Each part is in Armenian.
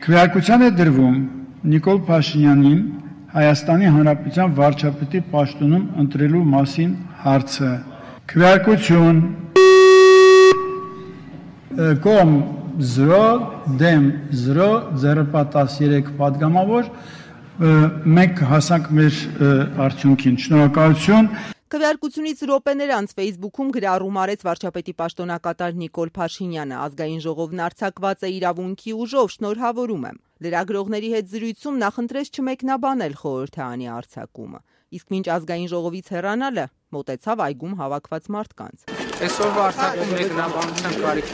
Քվեարկության է դրվում Նիկոլ Փաշինյանին Հայաստանի Հանրապետության վարչապետի պաշտոնում ընտրելու մասին հարցը։ Քվեարկություն կողմ 0 դեմ 0 0.13 պատգամավոր մենք հասանք մեր արդյունքին։ Շնորհակալություն։ Քվեարկությունից րոպեներ անց Facebook-ում գրառում արեց վարչապետի պաշտոնակատար Նիկոլ Փաշինյանը։ Ազգային ժողովն արձակված է իրավունքի ուժով, շնորհավորում եմ։ Լրագրողների հետ զրույցում նախընտրեց չմեկնաբանել խորհրդարանի արձակումը։ Իսկ մինչ ազգային ժողովից հեռանալը մոտեցավ այգում հավաքված մարդկանց։ Այսօրվա արձակում մեկնաբանության կարիք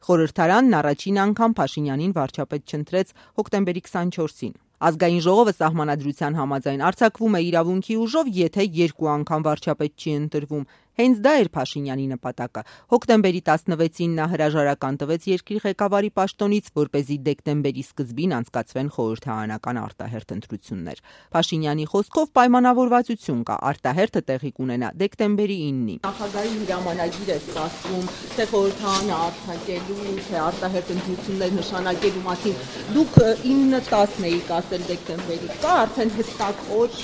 Խորհրդարանն առաջին անգամ Փաշինյանին վարչապետ չընտրեց հոկտեմբերի 24-ին։ Ազգային ժողովը սահմանադրության համաձայն արձակվում է իրավունքի ուժով, եթե 2 անգամ վարչապետ չի ընտրվում։ Հենց դա էր Փաշինյանի նպատակը։ Հոկտեմբերի 16-ին նա հրաժարական տվեց երկրի ղեկավարի պաշտոնից, որպեսզի դեկտեմբերի սկզբին անցկացվեն խորհրդարանական արտահերթ ընտրություններ։ Փաշինյանի խոսքով պայմանավորվածություն կա, արտահերթը տեղի կունենա դեկտեմբերի 9-ին։ Նախագահի հրամանագիր է ստացվում, թե խորհրդարանը արձակելու, թե արտահերթ ընտրություններ նշանակելու մասին։ Դուք 9-10 էիք ասել դեկտեմբերի, կա արդեն հստակ օր։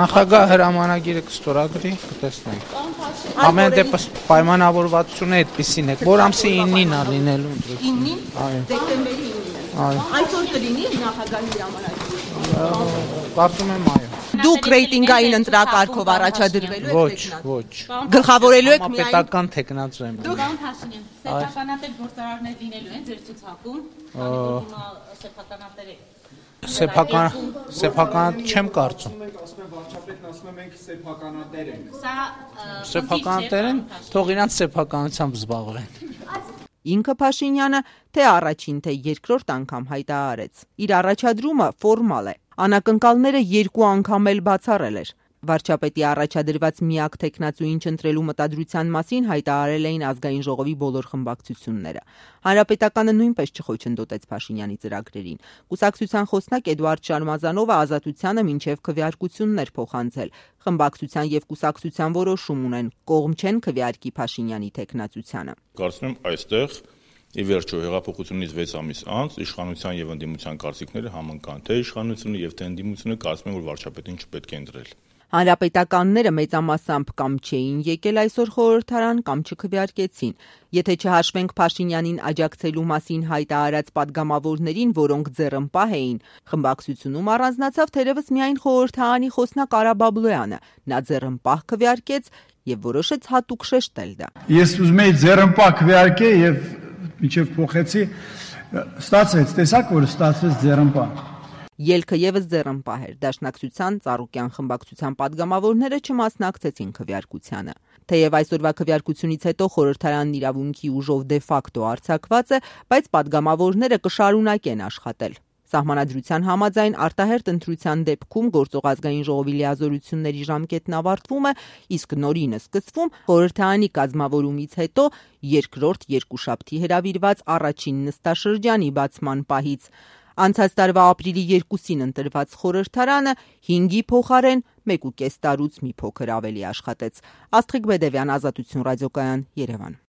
Նախագահ հրամանագիրը կստորագրի, կտեսնենք։ Ամեն դեպս պայմանավորվածությունը այդպեսին է, որ ամսի 9-ին է լինելու ընտրությունը։ 9-ին, դեկտեմբերի 9-ին։ Այսօր կլինի նախագահի հրամանագիրը։ Կարծում եմ այո։ Դուք ռեյտինգային ընտրակարգով առաջադրվելու եք տեխնացու։ Ոչ։ Գլխավորելու եք միայն պետական տեխնացու եմ։ Պարոն Փաշինյան, սեփականատեր գործարարներ լինելու են ձեր ցուցակում, սեփականատեր եք։ Սեփական չեմ կարծում։ Մենք ասում ենք վարչապետն ասում է մենք սեփականատեր ենք։ Սա Սեփականատեր են, թող իրանց սեփականությամբ զբաղվեն։ Ինքը Փաշինյանը թե առաջին, թե երկրորդ անգամ հայտարարեց։ Իր առաջադրումը ֆորմալ է։ Անակնկալները 2 անգամ էլ բացառել էր։ Վարչապետի առաջադրված միակ տեխնացուին չընտրելու մտադրության մասին հայտարարել էին ազգային ժողովի բոլոր խմբակցությունները։ Հանրապետականը նույնպես չխոչընդոտեց Փաշինյանի ծրագրերին։ Կուսակցության խոսնակ Էդուարդ Շարմազանովը Ազատությանը մինչև քվեարկություններ փոխանցել։ Խմբակցության եւ կուսակցության որոշում ունեն, կողմ չեն քվեարկի Փաշինյանի տեխնացությանը։ Կարծում եմ այստեղ ի վերջո հեղափոխությունից 6 ամիս անց իշխանության եւ ընդդիմության կարծիքները համընկան, թե իշխանությունը եւ թե ընդդիմությունը կարծում են, որ վարչապետին չպետք է ընտրել։ Հանրապետականները մեծամասամբ կամ չէին եկել այսօր խորհրդարան, կամ չքվեարկեցին։ Եթե չհաշվենք Փաշինյանին աջակցելու մասին հայտարարած падգամավորներին, որոնք ձեռնպահ էին, խմբակցությունում առանձնացավ թերևս միայն խորհրդարանի խոսնակ Արա Բաբլոյանը։ Նա ձեռնպահ քվեարկեց եւ որոշեց հատուկ շեշտել դա։ Ես ուզում եի ձեռնպահ քվեարկել եւ մինչեւ փոխեցի, ստացվեց, տեսակ որ ստացվեց ձեռնպահ։ Ելքը եւս ձեռնպահ էր։ Դաշնակցության Ծառուկյան խմբակցության падգամավորները չմասնակցեցին քվեարկությանը։ Թեև այսօրվա քվեարկությունից հետո խորհրդարանն իրավունքի ուժով դե ֆակտո արձակված է, բայց падգամավորները կշարունակեն աշխատել։ Սահմանադրության համաձայն արտահերթ ընտրության դեպքում գործող ազգային ժողովի լիազորությունների ժամկետն ավարտվում է, իսկ նորինը սկսվում խորհրդարանի կազմավորումից հետո երկրորդ երկուշաբթի հրավիրված առաջին նստաշրջանի բացման պահից։ Անցած տարվա ապրիլի 2-ին ընտրված խորհրդարանը 5-ի փոխարեն 1.5 տարուց մի փոքր ավելի աշխատեց։ Աստղիկ Բեդևյան, Ազատություն ռադիոկայան, Երևան։